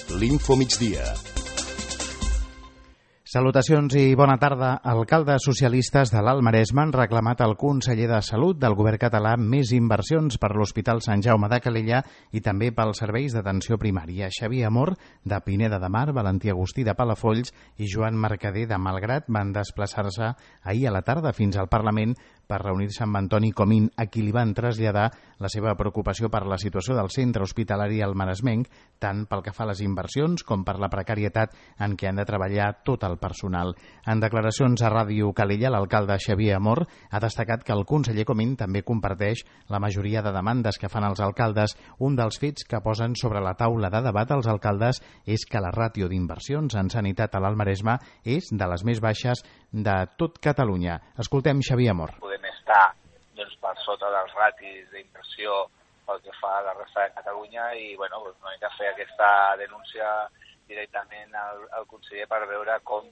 l'Infomigdia. Salutacions i bona tarda. Alcaldes socialistes de l'Alt Maresme han reclamat al conseller de Salut del govern català més inversions per l'Hospital Sant Jaume de Calella i també pels serveis d'atenció primària. Xavier Amor, de Pineda de Mar, Valentí Agustí, de Palafolls i Joan Mercader, de Malgrat, van desplaçar-se ahir a la tarda fins al Parlament per reunir-se amb Antoni Comín, a qui li van traslladar la seva preocupació per la situació del centre hospitalari almaresmenc, tant pel que fa a les inversions com per la precarietat en què han de treballar tot el personal. En declaracions a Ràdio Calella, l'alcalde Xavier Amor ha destacat que el conseller Comín també comparteix la majoria de demandes que fan els alcaldes. Un dels fets que posen sobre la taula de debat els alcaldes és que la ràtio d'inversions en sanitat a l'Alt Maresme és de les més baixes de tot Catalunya. Escoltem Xavier Amor. Estar per sota dels ratis d'inversió pel que fa a la resta de Catalunya i no hem de fer aquesta denúncia directament al conseller per veure com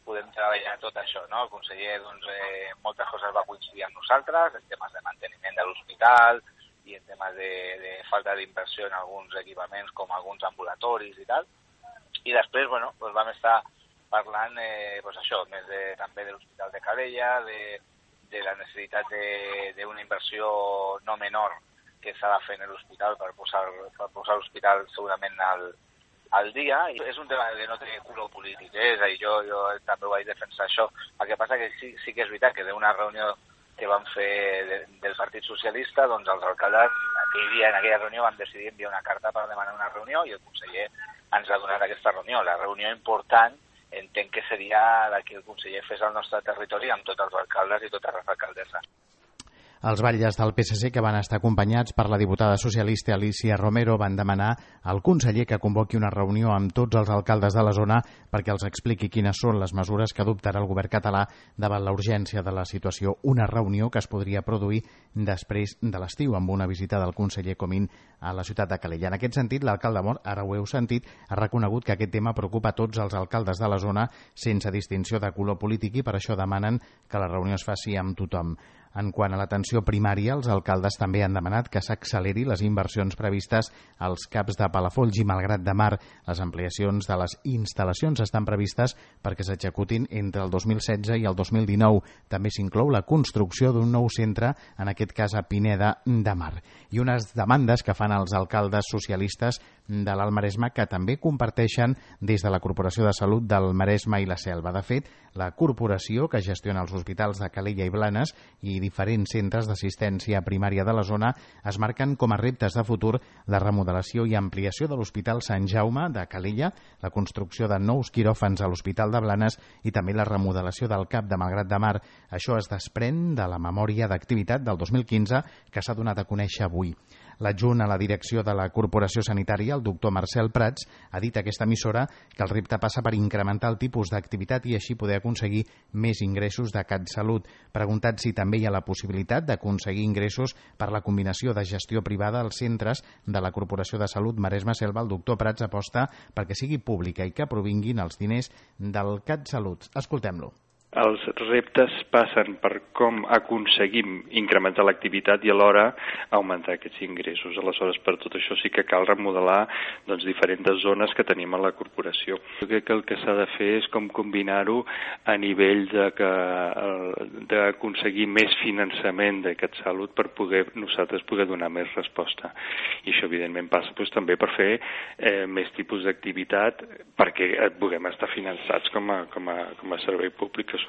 podem treballar tot això. El conseller moltes coses va coincidir amb nosaltres, en temes de manteniment de l'hospital i en temes de falta d'inversió en alguns equipaments com alguns ambulatoris i tal. I després vam estar parlant més també de l'Hospital de Calella, de la necessitat d'una inversió no menor que s'ha de fer en l'hospital per posar l'hospital segurament al dia. I és un tema que no té color polític, és a dir, jo també vaig defensar això. El que passa que sí que és veritat que d'una reunió que vam fer del Partit Socialista, els alcaldes aquell dia, en aquella reunió, van decidir enviar una carta per demanar una reunió i el conseller ens ha donat aquesta reunió. La reunió important entenc que seria la que el conseller fes al nostre territori amb tots els alcaldes i totes les alcaldesses. Els batlles del PSC, que van estar acompanyats per la diputada socialista Alicia Romero, van demanar al conseller que convoqui una reunió amb tots els alcaldes de la zona perquè els expliqui quines són les mesures que adoptarà el govern català davant la urgència de la situació. Una reunió que es podria produir després de l'estiu, amb una visita del conseller Comín a la ciutat de Calella. En aquest sentit, l'alcalde Amor, ara ho heu sentit, ha reconegut que aquest tema preocupa a tots els alcaldes de la zona sense distinció de color polític i per això demanen que la reunió es faci amb tothom. En quant a l'atenció primària, els alcaldes també han demanat que s'acceleri les inversions previstes als CAPs de Palafolls i Malgrat de Mar. Les ampliacions de les instal·lacions estan previstes perquè s'executin entre el 2016 i el 2019. També s'inclou la construcció d'un nou centre, en aquest cas a Pineda de Mar. I unes demandes que fan els alcaldes socialistes de l'Alt Maresme que també comparteixen des de la Corporació de Salut del Maresme i la Selva. De fet, la corporació que gestiona els hospitals de Calella i Blanes i diferents centres d'assistència primària de la zona es marquen com a reptes de futur la remodelació i ampliació de l'Hospital Sant Jaume de Calella, la construcció de nous quiròfans a l'Hospital de Blanes i també la remodelació del CAP de Malgrat de Mar. Això es desprèn de la memòria d'activitat del 2015 que s'ha donat a conèixer avui. L'adjunt a la direcció de la Corporació Sanitària, el doctor Marcel Prats, ha dit a aquesta emissora que el repte passa per incrementar el tipus d'activitat i així poder aconseguir més ingressos de CatSalut. Preguntat si també hi ha la possibilitat d'aconseguir ingressos per la combinació de gestió privada als centres de la Corporació de Salut Maresme-Selva, el doctor Prats aposta perquè sigui pública i que provinguin els diners del CatSalut. Escoltem-lo. Els reptes passen per com aconseguim incrementar l'activitat i alhora augmentar aquests ingressos. Aleshores, per tot això sí que cal remodelar diferents zones que tenim a la corporació. Jo crec que el que s'ha de fer és com combinar-ho a nivell d'aconseguir més finançament de CatSalut per nosaltres poder donar més resposta. I això, evidentment, passa també per fer més tipus d'activitat perquè puguem estar finançats com a servei públic que som.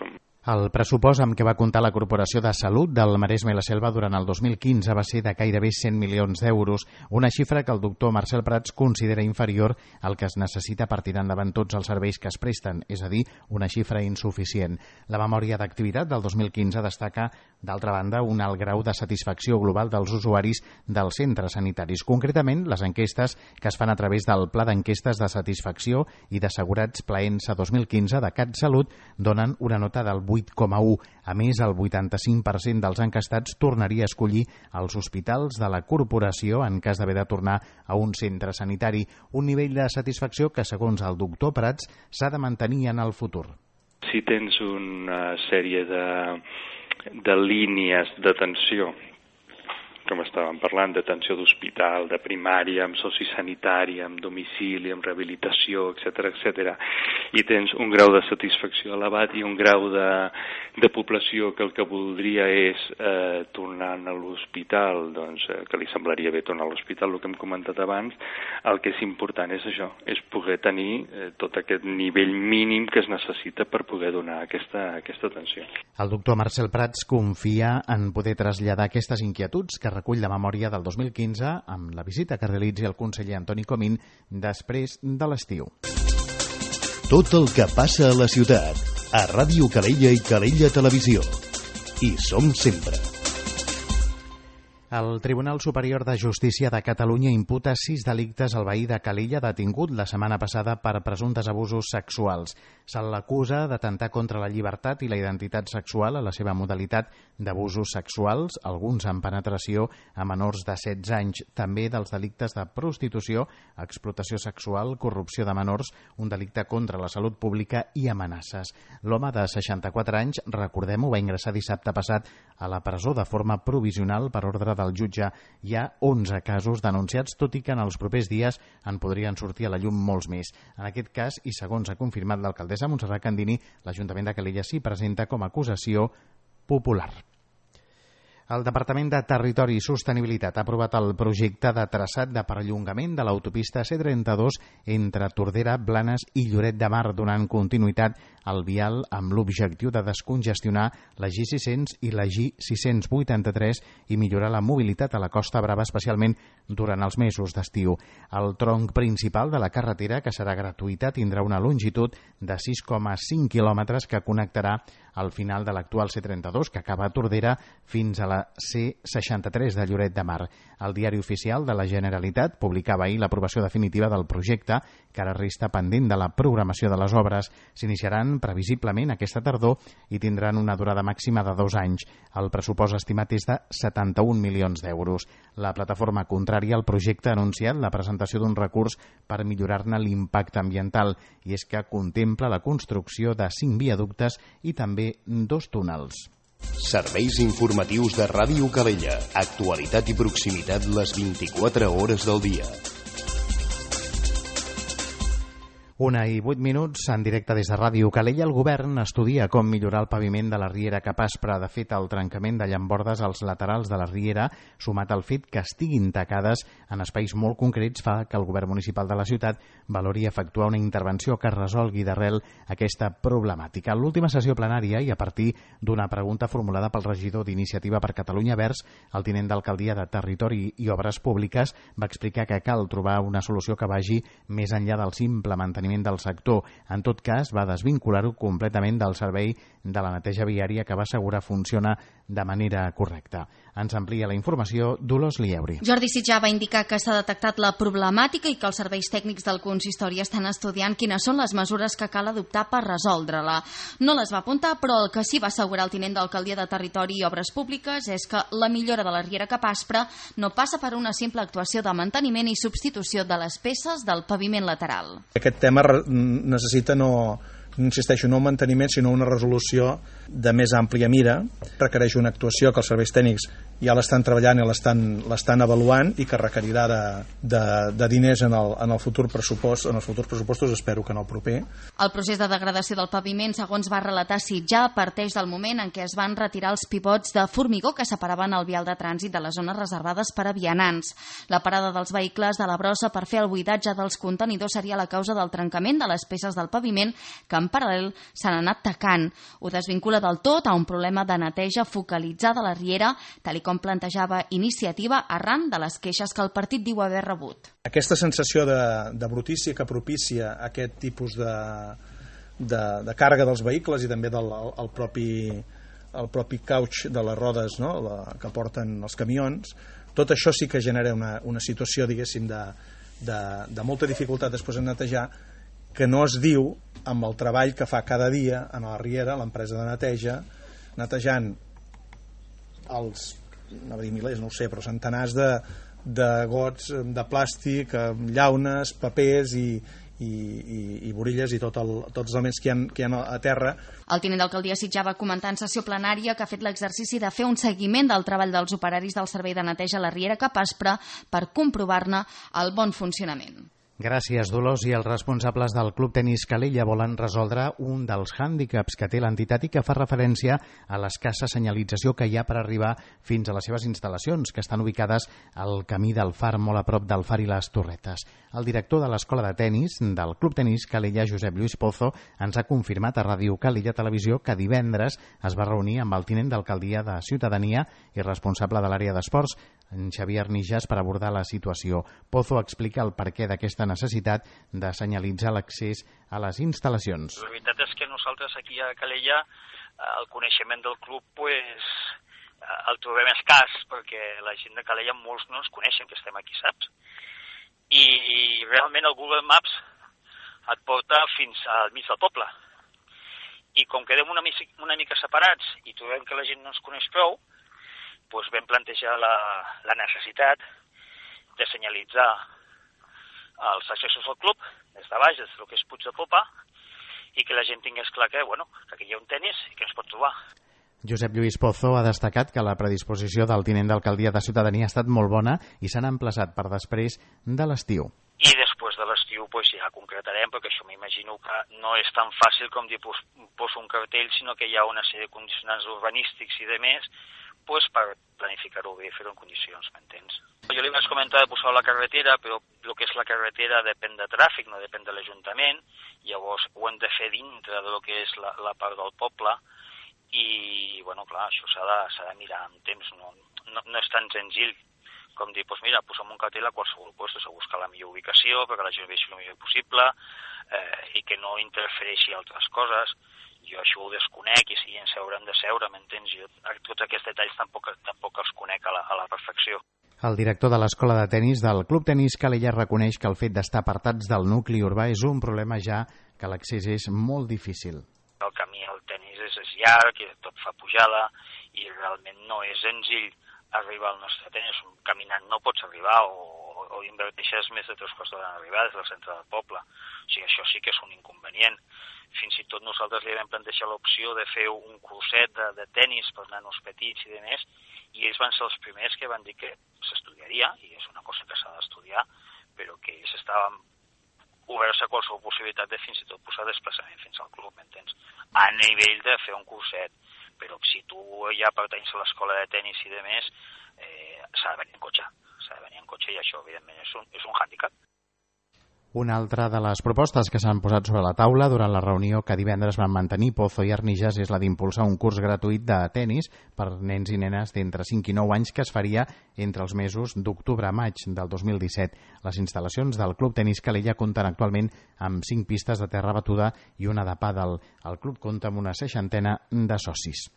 El pressupost amb què va comptar la Corporació de Salut del Maresme i la Selva durant el 2015 va ser de gairebé 100 milions d'euros, una xifra que el doctor Marcel Prats considera inferior al que es necessita per tirar endavant tots els serveis que es presten, és a dir, una xifra insuficient. La memòria d'activitat del 2015 destaca, d'altra banda, un alt grau de satisfacció global dels usuaris dels centres sanitaris. Concretament, les enquestes que es fan a través del Pla d'Enquestes de Satisfacció i d'Assegurats Plaensa 2015 de CatSalut donen una nota del 8,1. A més, el 85% dels enquestats tornaria a escollir els hospitals de la corporació en cas d'haver de tornar a un centre sanitari. Un nivell de satisfacció que, segons el doctor Prats, s'ha de mantenir en el futur. Si tens una sèrie de línies d'atenció com estàvem parlant, d'atenció d'hospital, de primària, amb sociosanitari, amb domicili, amb rehabilitació, etc. I tens un grau de satisfacció elevat i un grau de població que el que voldria és tornar a l'hospital, doncs que li semblaria bé tornar a l'hospital, el que hem comentat abans. El que és important és això, és poder tenir tot aquest nivell mínim que es necessita per poder donar aquesta atenció. El doctor Marcel Prats confia en poder traslladar aquestes inquietuds que recull la memòria del 2015 amb la visita que realitzi el conseller Antoni Comín després de l'estiu. Tot el que passa a la ciutat, a Ràdio Calella i Calella Televisió. Hi som sempre. El Tribunal Superior de Justícia de Catalunya imputa 6 delictes al veí de Calella detingut la setmana passada per presumptes abusos sexuals. Se l'acusa d'atemptar contra la llibertat i la identitat sexual a la seva modalitat d'abusos sexuals, alguns amb penetració a menors de 16 anys, també dels delictes de prostitució, explotació sexual, corrupció de menors, un delicte contra la salut pública i amenaces. L'home de 64 anys, recordem-ho, va ingressar dissabte passat a la presó de forma provisional per ordre del jutge. Hi ha 11 casos denunciats, tot i que en els propers dies en podrien sortir a la llum molts més. En aquest cas, i segons ha confirmat l'alcaldessa Montserrat Candini, l'Ajuntament de Calella s'hi presenta com a acusació popular. El Departament de Territori i Sostenibilitat ha aprovat el projecte de traçat de perllongament de l'autopista C32 entre Tordera, Blanes i Lloret de Mar, donant continuïtat al vial amb l'objectiu de descongestionar la G600 i la G683 i millorar la mobilitat a la Costa Brava, especialment durant els mesos d'estiu. El tronc principal de la carretera, que serà gratuïta, tindrà una longitud de 6,5 quilòmetres que connectarà al final de l'actual C32, que acaba a Tordera, fins a la C63 de Lloret de Mar. El Diari Oficial de la Generalitat publicava ahir l'aprovació definitiva del projecte, que ara resta pendent de la programació de les obres. S'iniciaran previsiblement aquesta tardor i tindran una durada màxima de 2 anys. El pressupost estimat és de 71 milions d'euros. La plataforma contrària al projecte ha anunciat la presentació d'un recurs per millorar-ne l'impacte ambiental, i és que contempla la construcció de 5 viaductes i també 2 túnels. Serveis informatius de Ràdio Calella. Actualitat i proximitat les 24 hores del dia. 1:08 en directe des de Ràdio Calella. El govern estudia com millorar el paviment de la riera Capaspre. De fet, el trencament de llambordes als laterals de la riera, sumat al fet que estiguin tacades en espais molt concrets, fa que el govern municipal de la ciutat valori efectuar una intervenció que resolgui d'arrel aquesta problemàtica. En l'última sessió plenària, i a partir d'una pregunta formulada pel regidor d'Iniciativa per Catalunya Verds, el tinent d'alcaldia de Territori i Obres Públiques va explicar que cal trobar una solució que vagi més enllà del simple manteniment del sector. En tot cas, va desvincular-ho completament del servei de la neteja viària, que va assegurar funciona de manera correcta. Ens amplia la informació Dolors Lieuri. Jordi Sitjà va indicar que s'ha detectat la problemàtica i que els serveis tècnics del consistori estan estudiant quines són les mesures que cal adoptar per resoldre-la. No les va apuntar, però el que sí va assegurar el tinent d'alcaldia de Territori i Obres Públiques és que la millora de la riera Capaspre no passa per una simple actuació de manteniment i substitució de les peces del paviment lateral. Aquest tema necessita no un manteniment, sinó una resolució de més àmplia mira. Requereix una actuació que els serveis tècnics ja l'estan treballant i l'estan avaluant, i que requerirà de diners en el futur pressupost, en els futurs pressupostos, espero que en el proper. El procés de degradació del paviment, segons va relatar Sitjà, parteix del moment en què es van retirar els pivots de formigó que separaven el vial de trànsit de les zones reservades per a vianants. La parada dels vehicles de la brossa per fer el buidatge dels contenidors seria la causa del trencament de les peces del paviment, que en paral·lel s'han anat tacant. Ho desvincula del tot a un problema de neteja focalitzada a la riera, tal com plantejava Iniciativa arran de les queixes que el partit diu haver rebut. Aquesta sensació de brutícia que propicia aquest tipus de càrrega dels vehicles i també el propi couch de les rodes, no? Que porten els camions, tot això sí que genera una situació, diguéssim, de molta dificultat després de netejar, que no es diu amb el treball que fa cada dia a la riera l'empresa de neteja, netejant els, no dir milers, no ho sé, però centenars de gots de plàstic, llaunes, papers i i Borilles i tots els elements que hi ha a terra. El tinent d'alcaldia Sitjar va comentar en sessió plenària que ha fet l'exercici de fer un seguiment del treball dels operaris del servei de neteja a la Riera Cap Aspre per comprovar-ne el bon funcionament. Gràcies, Dolors. I els responsables del Club Tenis Calella volen resoldre un dels hàndicaps que té l'entitat i que fa referència a l'escassa senyalització que hi ha per arribar fins a les seves instal·lacions, que estan ubicades al camí del Far, molt a prop del Far i les Torretes. El director de l'escola de tenis del Club Tenis Calella, Josep Lluís Pozo, ens ha confirmat a Ràdio Calella Televisió que divendres es va reunir amb el tinent d'alcaldia de Ciutadania i responsable de l'àrea d'esports, en Xavier Arnijas, per abordar la situació. Pozo explica el perquè d'aquesta necessitat de senyalitzar l'accés a les instal·lacions. La veritat és que nosaltres aquí a Calella el coneixement del club el trobem escàs, perquè la gent de Calella molts no ens coneixen que estem aquí, saps? I realment el Google Maps et porta fins al mig del poble. I com quedem una mica separats i trobem que la gent no ens coneix prou, doncs vam plantejar la necessitat de senyalitzar els accessos al club, des de baix, des del que és Puig de Popa, i que la gent tingués clar que aquí hi ha un tenis i que ens pot trobar. Josep Lluís Pozo ha destacat que la predisposició del tinent d'alcaldia de Ciutadania ha estat molt bona i s'han emplaçat per després de l'estiu. I després de l'estiu ja concretarem, perquè això m'imagino que no és tan fàcil com dir poso un cartell, sinó que hi ha una sèrie de condicionants urbanístics i de més per planificar-ho bé i fer-ho en condicions, m'entens? Jo li vaig comentar de posar la carretera, però el que és la carretera depèn de tràfic, no depèn de l'Ajuntament, llavors ho hem de fer dintre de lo que és la part del poble, i, clar, això s'ha de mirar amb temps, no és tan senzill com dir, mira, posem un cartell a qualsevol lloc, a buscar la millor ubicació perquè la gent vegi el millor possible i que no interfereixi altres coses. Jo això ho desconec i si ens haurem de seure, m'entens? Jo tots aquests detalls tampoc els conec a la perfecció. El director de l'escola de tenis del Club Tenis Calella reconeix que el fet d'estar apartats del nucli urbà és un problema, ja que l'accés és molt difícil. El camí al tenis és llarg, tot fa pujada i realment no és senzill arribar al nostre tenis. Caminant no pots arribar o inverteixes més de 3 quarts d'hora en arribar des del centre del poble. O sigui, això sí que és un inconvenient. Fins i tot nosaltres li vam plantejar l'opció de fer un curset de tenis per nanos petits i demés, i ells van ser els primers que van dir que s'estudiaria, i és una cosa que s'ha d'estudiar, però que ells estaven oberts a qualsevol possibilitat de fins i tot posar desplaçament fins al club, m'entens? A nivell de fer un curset. Però si tu ja pertanys a l'escola de tenis i demés, s'ha de venir en cotxe. I això, evidentment, és un hàndicap. Una altra de les propostes que s'han posat sobre la taula durant la reunió que divendres van mantenir Pozo i Arnijas és la d'impulsar un curs gratuït de tenis per nens i nenes d'entre 5 i 9 anys que es faria entre els mesos d'octubre a maig del 2017. Les instal·lacions del Club Tenis Calella compten actualment amb 5 pistes de terra batuda i una de pàdel. El club compta amb una 60 de socis.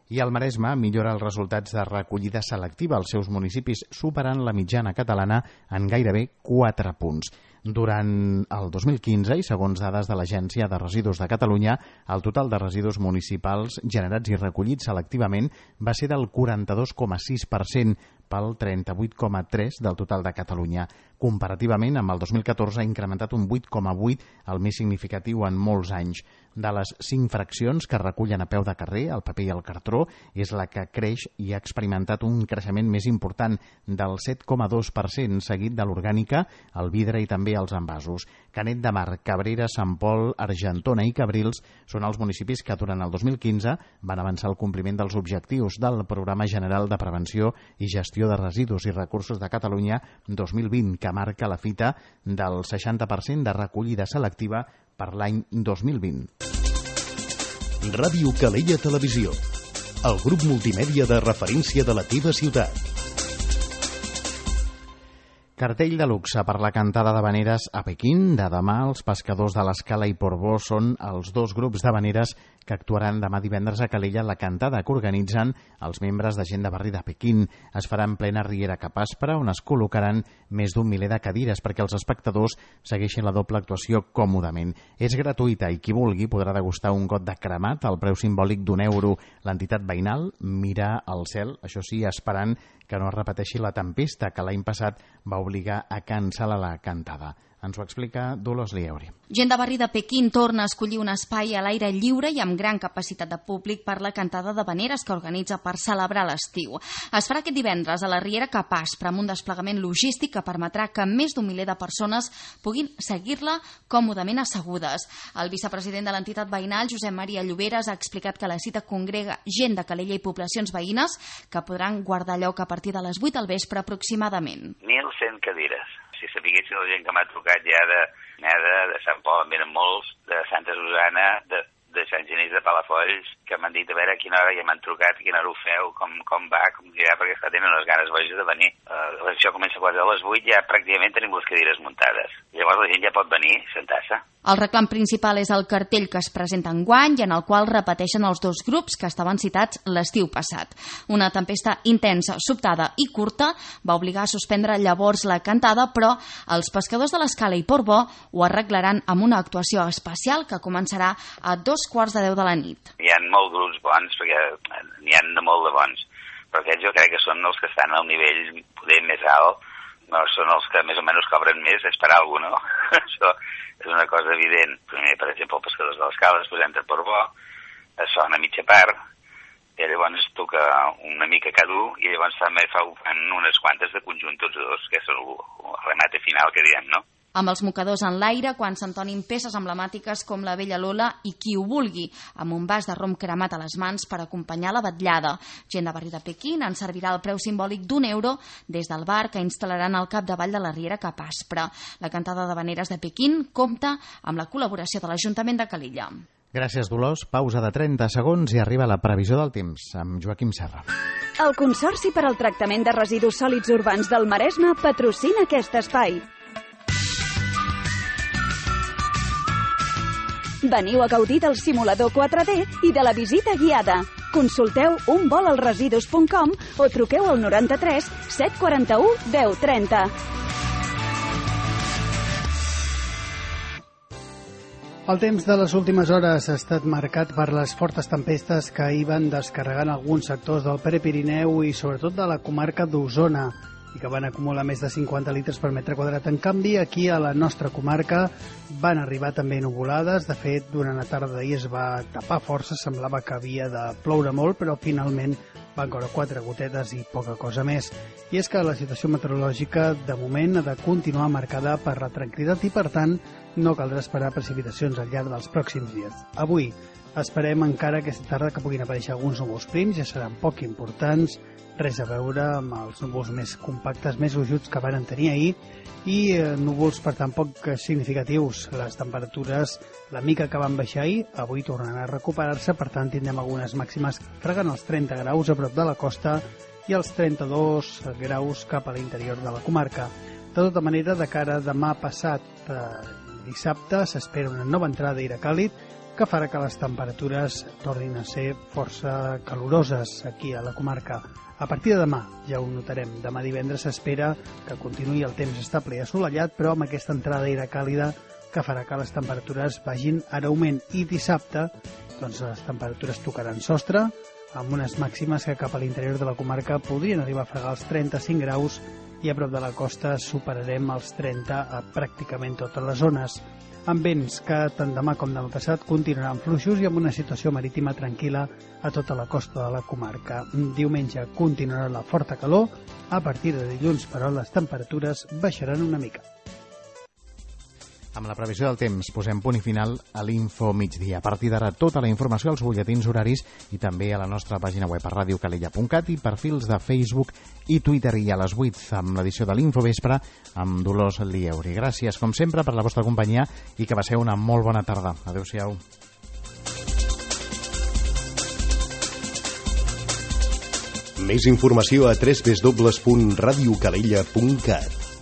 I el Maresme millora els resultats de recollida selectiva als seus municipis, superant la mitjana catalana en gairebé 4 punts. Durant el 2015, i segons dades de l'Agència de Residus de Catalunya, el total de residus municipals generats i recollits selectivament va ser del 42,6% pel 38,3% del total de Catalunya. Comparativament amb el 2014 ha incrementat un 8,8%, el més significatiu en molts anys. De les 5 fraccions que recullen a peu de carrer, el paper i el cartró, és la que creix i ha experimentat un creixement més important del 7,2%, seguit de l'orgànica, el vidre i també els envasos. Canet de Mar, Cabrera, Sant Pol, Argentona i Cabrils són els municipis que durant el 2015 van avançar el compliment dels objectius del Programa General de Prevenció i Gestió de Residus i Recursos de Catalunya 2020, que marca la fita del 60% de recollida selectiva per l'any 2020. Ràdio Calella Televisió, el grup multimèdia de referència de la teva ciutat. Cartell de luxe per la cantada d'havaneres a Pequín. De demà, els pescadors de l'Escala i Portbó són els 2 grups d'havaneres que actuaran demà divendres a Calella. La cantada que organitzen els membres de Gent de Barri de Pequín es farà en plena Riera Cap Aspre, on es col·locaran més d'un miler de cadires perquè els espectadors segueixin la doble actuació còmodament. És gratuïta i qui vulgui podrà degustar un got de cremat al preu simbòlic d'€1. L'entitat veïnal mira al cel, això sí, esperant que no es repeteixi la tempesta que l'any passat va obligar a cancel·lar la cantada. Ens ho explica Dolors Lieuri. Gent de barri de Pequín torna a escollir un espai a l'aire lliure i amb gran capacitat de públic per la cantada d'havaneres que organitza per celebrar l'estiu. Es farà aquest divendres a la Riera Capaspre amb un desplegament logístic que permetrà que més d'un miler de persones puguin seguir-la còmodament assegudes. El vicepresident de l'entitat veïnal, Josep Maria Lloberes, ha explicat que la cita congrega gent de Calella i poblacions veïnes que podran guardar lloc a partir de les 8 del vespre aproximadament. 1.100 cadires. Si sapiguessin la gent que m'ha trucat ja de Neda, de Sant Pol, en venen molts, de Santa Susana, de Sant Genís de Palafolls, que m'han dit a veure a quina hora ja m'han trucat, a quina hora ho feu, com va, com dirà, perquè esclar, tenen unes ganes boges de venir. Això comença quasi a les 8, ja pràcticament tenim les cadires muntades. Llavors la gent ja pot venir, sentar-se. El reclam principal és el cartell que es presenta enguany i en el qual repeteixen els dos grups que estaven citats l'estiu passat. Una tempesta intensa, sobtada i curta va obligar a suspendre llavors la cantada, però els pescadors de l'Escala i Portbó ho arreglaran amb una actuació especial que començarà a 2:15 de la nit. Hi ha molts grups bons, perquè n'hi ha de molt de bons, però aquests jo crec que són els que estan al nivell poder més alt, no són els que més o menys cobren més, és per alguna cosa, no? Això és una cosa evident. Primer, per exemple, els pescadors de l'Escala, després entra Portbó, es fa una mitja part, i llavors es toca una mica cada un, i llavors també fan unes quantes de conjunt tots dos, que és el remate final que diem, no? Amb els mocadors en l'aire, quan s'entonin peces emblemàtiques com la Vella Lola i Qui ho vulgui, amb un vas de rom cremat a les mans per acompanyar la vetllada. Gent de barri de Pequín en servirà el preu simbòlic d'€1 des del bar que instal·laran al capdavall de la Riera Capaspre. La cantada d'havaneres de Pequín compta amb la col·laboració de l'Ajuntament de Calella. Gràcies, Dolors. Pausa de 30 segons i arriba la previsió del temps amb Joaquim Serra. El Consorci per al Tractament de Residus Sòlids Urbans del Maresme patrocina aquest espai. Veniu a gaudir del simulador 4D i de la visita guiada. Consulteu unvolalresidus.com o truqueu al 93 741 1030. El temps de les últimes hores ha estat marcat per les fortes tempestes que hi van descarregant alguns sectors del Prepirineu i sobretot de la comarca d'Osona i que van acumular més de 50 litres per metre quadrat. En canvi, aquí a la nostra comarca van arribar també nuvolades. De fet, durant la tarda d'ahir es va tapar força, semblava que havia de ploure molt, però finalment van caure 4 gotetes i poca cosa més. I és que la situació meteorològica, de moment, ha de continuar marcada per la tranquil·litat i, per tant, no caldrà esperar precipitacions al llarg dels pròxims dies. Avui esperem encara aquesta tarda que puguin aparèixer alguns núvols prims, ja seran poc importants, res a veure amb els núvols més compactes, més gruixuts que van tenir ahir, i núvols, per tant, poc significatius. Les temperatures, la mica que van baixar ahir, avui tornaran a recuperar-se, per tant, tindrem algunes màximes fregant els 30 graus a prop de la costa i els 32 graus cap a l'interior de la comarca. De tota manera, de cara a demà passat dissabte, s'espera una nova entrada d'aire càlid que farà que les temperatures tornin a ser força caloroses aquí a la comarca. A partir de demà, ja ho notarem, demà divendres s'espera que continuï el temps estable i assolellat, però amb aquesta entrada d'aire càlida que farà que les temperatures vagin en augment. I dissabte, doncs les temperatures tocaran sostre, amb unes màximes que cap a l'interior de la comarca podrien arribar a fregar els 35 graus i a prop de la costa superarem els 30 a pràcticament totes les zones, amb vents que tant demà com demà passat continuaran fluixos i amb una situació marítima tranquil·la a tota la costa de la comarca. Diumenge continuarà la forta calor, a partir de dilluns, però, les temperatures baixaran una mica. Amb la previsió del temps posem punt i final a l'Info Migdia. A partir d'ara tota la informació als butlletins horaris i també a la nostra pàgina web a radiocalella.cat i perfils de Facebook i Twitter, i a les 8 amb l'edició de l'Info Vespre amb Dolors Lieuri. Gràcies, com sempre, per la vostra companyia i que passeu una molt bona tarda. Adéu-siau. Més informació a www.radiocalella.cat.